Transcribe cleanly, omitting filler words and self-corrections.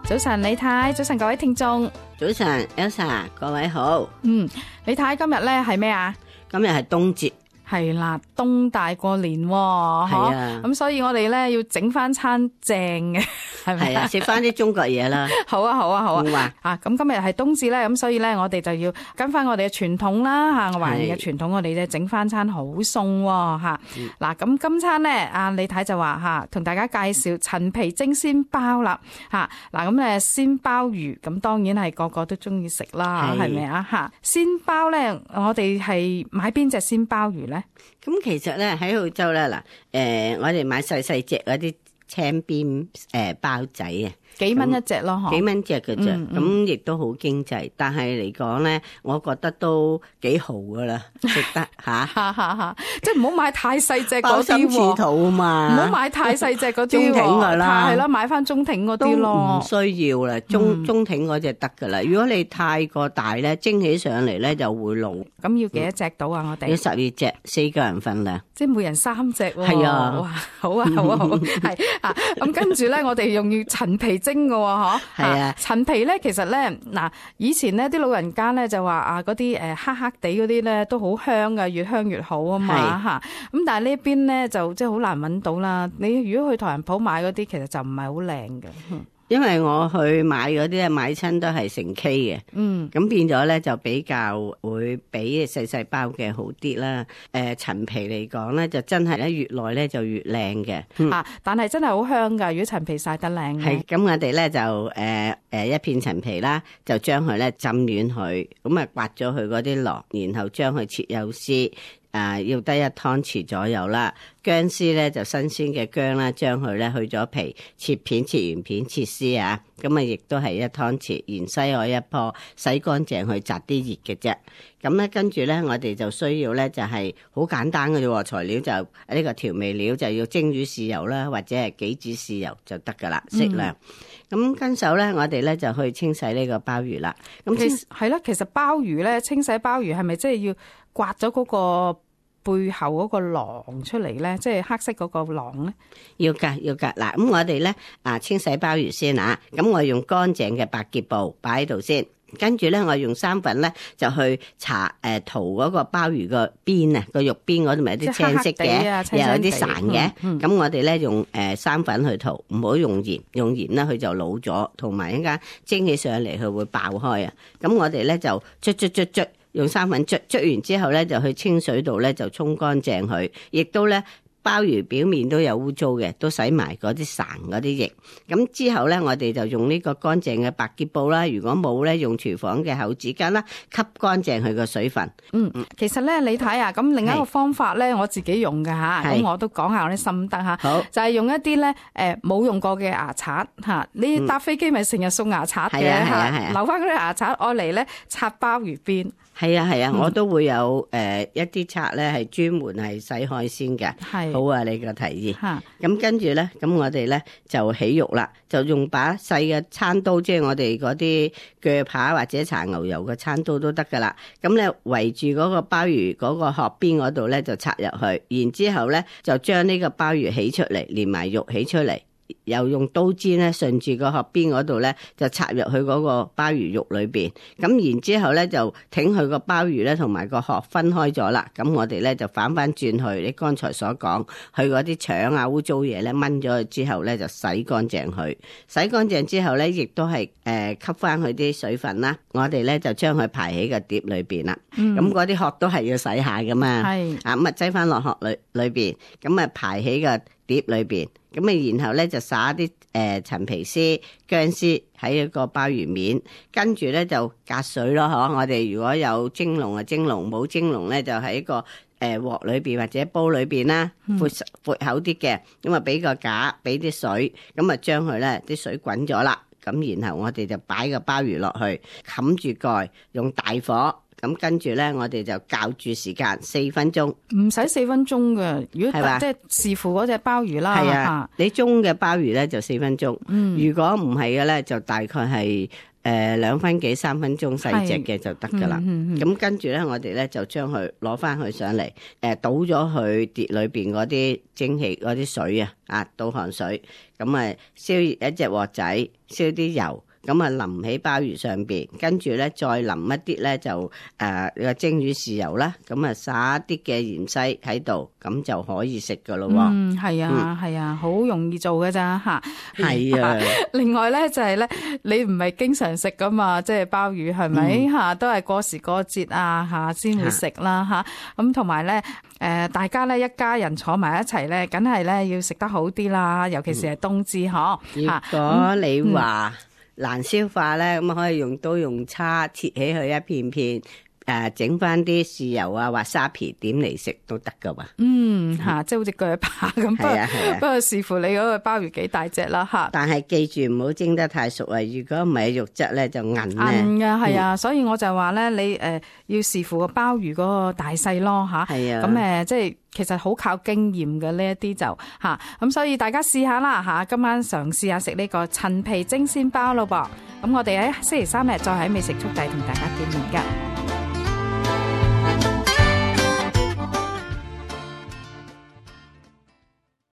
早晨李太，早晨各位聽眾，早晨 Elsa， 各位好。李太今日咧係咩啊？今日係冬節。係啦，冬大過年喎，係啊，咁所以我哋咧要整翻餐正嘅，係咪啊？食翻啲中國嘢啦。好啊，咁今日係冬至咧，咁所以咧我哋就要跟翻我哋嘅傳統啦吓，華人嘅傳統，我哋咧整翻餐好餸吓。嗱，咁今餐咧，阿李太就話吓，同大家介紹陳皮蒸鮮鮑啦吓。嗱，咁咧鮮鮑魚，咁當然係個個都中意食啦，係咪啊吓？鮮鮑咧，我哋係買邊隻鮮鮑魚咧？咁其實咧喺澳洲咧嗱，我哋買細細隻嗰啲青邊鮑仔啊，幾蚊一隻咯，幾蚊隻嘅啫，咁亦都好經濟，但係嚟講咧，我覺得都幾豪噶啦，食得吓，即係唔好買太細隻嗰啲喎，鮑心似肚啊嘛，唔好買太細隻嗰啲，中挺噶啦，係啦，買翻中挺嗰啲咯，唔需要啦，中挺嗰隻得噶啦。如果你太過大咧，蒸起上嚟咧就會老。咁要幾多隻到啊？我哋要12隻，4個人份量，即係每人3隻喎。係啊，哇，好啊，係啊，咁跟住咧，我哋用要陳皮蒸嘅喎，係啊，陳皮咧，其實咧，嗱，以前咧啲老人家咧就話啊，嗰啲黑黑地嗰啲咧都好香㗎，越香越好啊嘛嚇。咁但係呢邊咧就即係好難揾到啦。你如果去唐人鋪買嗰啲，其實就唔係好靚嘅。因為我去買嗰啲咧，買親都係成 K 嘅，咁變咗咧就比較會比細細包嘅好啲啦。陳皮嚟講咧，就真係咧越耐咧就越靚嘅，但係真係好香㗎。如果陳皮曬得靚，係咁我哋咧就一片陳皮啦，就將佢咧浸軟佢，咁啊刮咗佢嗰啲殼，然後將佢切幼絲。要得1湯匙左右啦。薑絲咧就新鮮嘅薑啦，將佢咧去咗皮，切片、切完片、切絲啊。咁啊，亦都係1湯匙芫茜海一棵，洗乾淨去摘啲葉嘅啫。咁咧跟住咧，我哋就需要咧就係好簡單嘅啫，材料就呢個調味料就要蒸魚豉油啦，或者係杞子豉油就得噶啦，適量。咁跟手咧，我哋咧就去清洗呢個鮑魚啦。咁係啦，其實鮑魚咧，清洗鮑魚係咪即係要刮咗嗰個背後嗰個囊出嚟咧，即係黑色嗰個囊咧？要㗎。嗱，咁我哋咧清洗鮑魚先啊。咁我用乾淨嘅白潔布擺喺度先，跟住咧我用生粉咧就去搽塗嗰個鮑魚個邊啊，個肉邊嗰度咪有啲青色嘅，又有啲潺嘅。咁我哋咧用生粉去塗，唔好用鹽，用鹽咧佢就老咗，同埋一間蒸起上嚟佢會爆開啊。咁我哋咧就捽。用生粉捽完之後咧，就去清水度咧就沖乾淨佢，亦都咧鮑魚表面都有污糟嘅，都洗埋嗰啲潺嗰啲液。咁之後咧，我哋就用呢個乾淨嘅白潔布啦。如果冇咧，用廚房嘅厚紙巾啦，吸乾淨佢個水分。其實咧，你睇啊，咁另一個方法咧，我自己用嘅吓，咁我都講下我啲心得吓。好，就係用一啲咧冇用過嘅牙刷吓，你搭飛機咪成日送牙刷嘅吓，留翻嗰啲牙刷愛嚟咧刷鮑魚邊。係啊，我都會有一啲刷咧係專門係洗海鮮嘅。係好啊，你個提議。咁跟住咧，咁我哋咧就起肉啦，就用把細嘅餐刀，即係我哋嗰啲鋸扒或者搽牛油嘅餐刀都得噶啦。咁咧圍住嗰個鮑魚嗰個殼邊嗰度咧就插入去，然之後咧就將呢個鮑魚起出嚟，連埋肉起出嚟。又用刀尖咧順住個殼邊嗰度咧就插入去嗰個鮑魚肉裏邊，咁然之後咧就挺佢個鮑魚咧同埋個殼分開咗啦。咁我哋咧就反翻轉去，你剛才所講佢嗰啲腸啊污糟嘢咧炆咗佢之後咧就洗乾淨佢，洗乾淨之後咧亦都係吸翻佢啲水分啦。我哋咧就將佢排喺個碟裏邊啦。咁嗰啲殼都係要洗下噶嘛。係啊，咁啊擠翻落殼裏邊，咁啊排喺個碟裏邊。咁啊，然後咧就撒啲陳皮絲、薑絲喺一個鮑魚面，跟住咧就隔水咯，嗬！我哋如果有蒸籠啊蒸籠，冇蒸籠咧就喺一個鑊裏邊或者煲裏邊啦，闊口啲嘅，咁啊俾個架，俾啲水，咁啊將佢咧啲水滾咗啦，咁然後我哋就擺個鮑魚落去，冚住蓋，用大火。咁跟住咧，我哋就校住時間4分鐘，唔使4分鐘嘅。如果即係視乎嗰隻鮑魚啦，係啊，你中嘅鮑魚咧就4分鐘。如果唔係嘅咧，就大概係2分幾3分鐘細隻嘅就得噶啦。咁跟住咧，我哋咧就將佢攞翻去上嚟，倒咗去碟裏邊嗰啲蒸汽嗰啲水啊，倒汗水，咁啊燒一隻鑊仔，燒啲油。咁啊淋喺鮑魚上邊，跟住咧再淋一啲咧就個蒸魚豉油啦，咁啊撒一啲嘅芫茜喺度，咁就可以食噶咯。係啊，係啊，好容易做㗎咋吓。係啊。另外咧就係咧，你唔係經常食噶嘛，即係鮑魚係咪吓？都係過時過節啊吓先會食啦吓。咁同埋咧，大家咧一家人坐埋一齊咧，梗係咧要食得好啲啦，尤其是係冬至嗬。如果你話難消化咧，咁可以用刀用叉切起佢一片片，整翻啲豉油啊或沙皮點嚟食都得噶嘛。即係好似鋸扒咁。不過視乎你嗰個鮑魚幾大隻啦吓。但係記住唔好蒸得太熟啊，如果唔係肉質咧就韌咧。韌噶係啊，所以我就話咧，你要視乎個鮑魚嗰個大細咯吓。係啊。咁即係其實好靠經驗嘅呢一啲就吓，咁所以大家試下啦吓，今晚嘗試下食呢個陳皮蒸鮮鮑咯噃。咁我哋喺星期3日再喺美食速遞同大家見面噶。